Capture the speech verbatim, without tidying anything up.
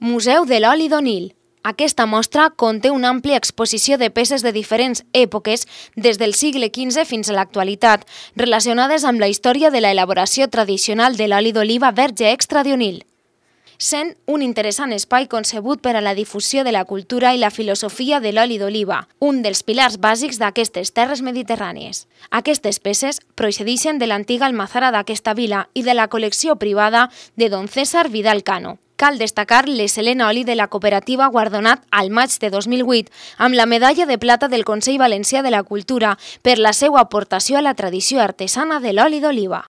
Museu de l'oli d'Onil. Aquesta mostra conté una àmplia exposició de peces de diferents èpoques, des del segle quinze fins a l'actualitat, relacionades amb la història de l'elaboració tradicional de l'oli d'oliva verge extra d'Onil, sent un interessant espai concebut per a la difusió de la cultura i la filosofia de l'oli d'oliva, un dels pilars bàsics d'aquestes terres mediterrànies. Aquestes peces procedeixen de l'antiga almazara d'aquesta vila i de la col·lecció privada de don César Vidal Cano. Cal destacar l'excel·lent oli de la cooperativa guardonat al maig de dos mil vuit amb la medalla de plata del Consell Valencià de la Cultura per la seva aportació a la tradició artesana de l'oli d'oliva.